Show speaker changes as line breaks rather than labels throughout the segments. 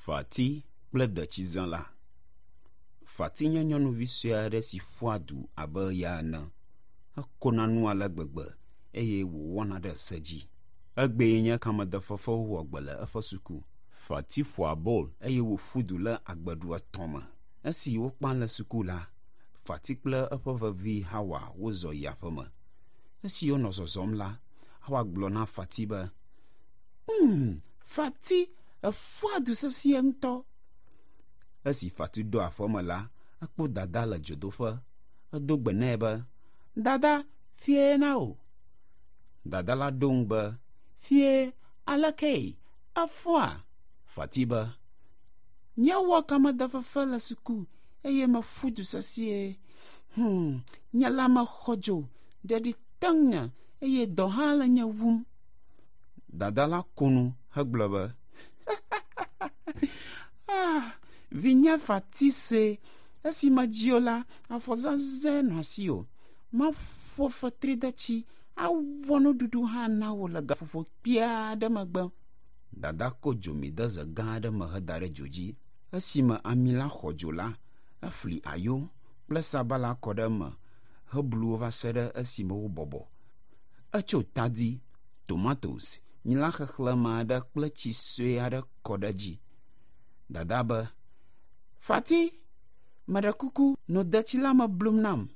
Fati kple detsizã la. Fati nye nyɔnuvi sue aɖe si ƒoa du abe ya ene. Ekona nu ale gbegbe eye wòwɔna ɖe se dzi. Egbee nye kamedefefewo wɔ gbe le eƒe suku. Fati ƒoa bɔl eye wòƒu du le agbeɖu 3 me. Esi wokpa le suku la, Fati kple eƒe vevi Hawa wozɔ yi aƒe me. Esi wonɔ zɔzɔm la, Hawa gblɔ na Fati be, Fati, eƒua du sesie ŋutɔ. Esi Fati do aƒe me la, ekpɔ dada le dzodoƒe. Edo gbe nɛ be, Dada, fie na o. Dada la ɖo ŋu be, Fie, aleke, eƒua. Fati be, nyewɔ kamedefefe le suku eye meƒu du sesie. Nye la mexɔ dzo, ɖeɖi teŋ nye eye dɔ hã le nye wum. Dada la konu hegblɔ be, vinye Fati sue, esi medziwo la, afɔzaze nɔ asiwò. Maƒo fetri de tsi, awɔ nuɖuɖu hã na wò le gaƒoƒo kpui aɖe megbe. Dada ko dzomi de ze gã aɖe me heda ɖe dzo dzi. Esime ami la xɔ dzo la, efli ayo kple sabala kɔ ɖe eme heblu wo va se ɖe esime wobɔbɔ. Etso tadi, tomatoes, nyila xexlẽme aɖe kple tsi sue aɖe kɔ ɖe dzi. Dada be, Fati, meɖe kuku, no detsi la me blum nam.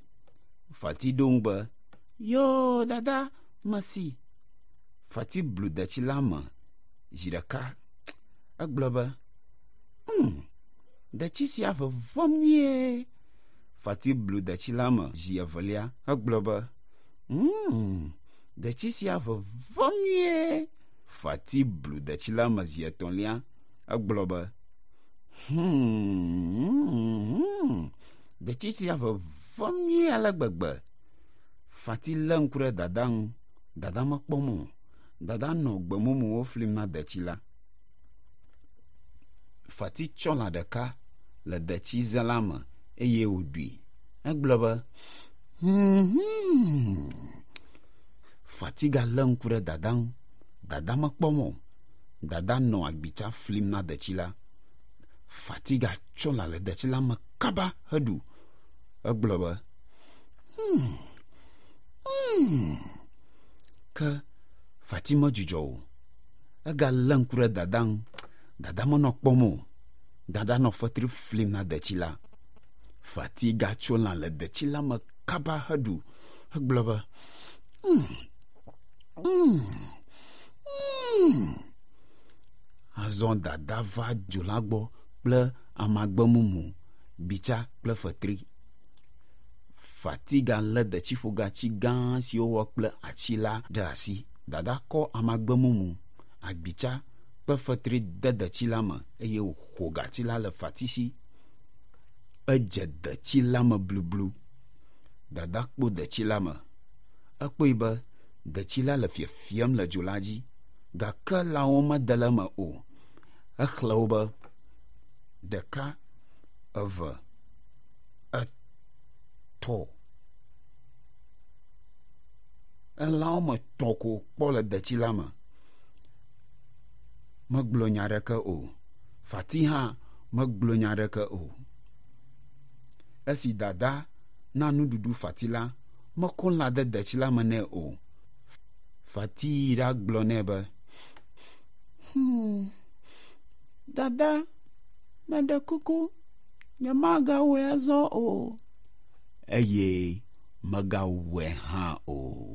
Fati ɖo ŋu be, Yo, dada, mesi. Fati blu detsi la me zi ɖeka. Egblɔ be, detsi sia vevɔm nyuie. Fati blu detsi la me zi evelia. Egblɔ be, detsi sia vevɔm nyuie. Fati blu detsi la me zi etɔ̃lia. Egblɔ be, detsi sia vevɔm nyuie ale gbegbe. Fati lé ŋku ɖe dada ŋu. Dada mekpɔm o. Dada nɔ gbemumuwo flim na detsi la. Fati tsɔ lã ɖeka le detsi ze la me eye wòɖui. Egblɔ be, Fati galé ŋku ɖe dada ŋu. Dada mekpɔm o. Dada nɔ agbitsa flim na detsi la. Fati gatsɔ lã le detsi la me kaba heɖu. Egblɔ be, ke Fati medzudzɔ o. Egalé ŋku ɖe dada ŋu. Dada menɔ kpɔm o. Dada nɔ fetri flim na detsi la. Fati gatso lã le detsi la me kaba heɖu. Egblɔ be, azɔ dada va dzo la gbɔ kple amagbe mumu, bitsa kple fetri. Fati galé detsiƒogatsi gã siwo wɔ kple atsi la ɖe asi. Dada kɔ amagbe mumu, agbitsa kple fetri de detsi la me eye wòƒo gatsi la le Fati si. Edze detsi la me blublu. Dada kpɔ detsi la me. Ekpɔe be detsi la le fiefiem le dzo la dzi, gake lãwo mede le eme o. Exlẽ wo be 1, 2, 3. Elãwo me 3 ko kpɔ le detsi la me. Megblɔ nya ɖeke o. Fati hã megblɔ nya ɖeke o. Esi dada na nuɖuɖu Fati la, mekɔ lã de detsi la me nɛ o. Fati yi ɖagblɔ nɛ be, Dada, meɖe kuku, nyemagawɔe azɔ o. Eye megawɔe hã o.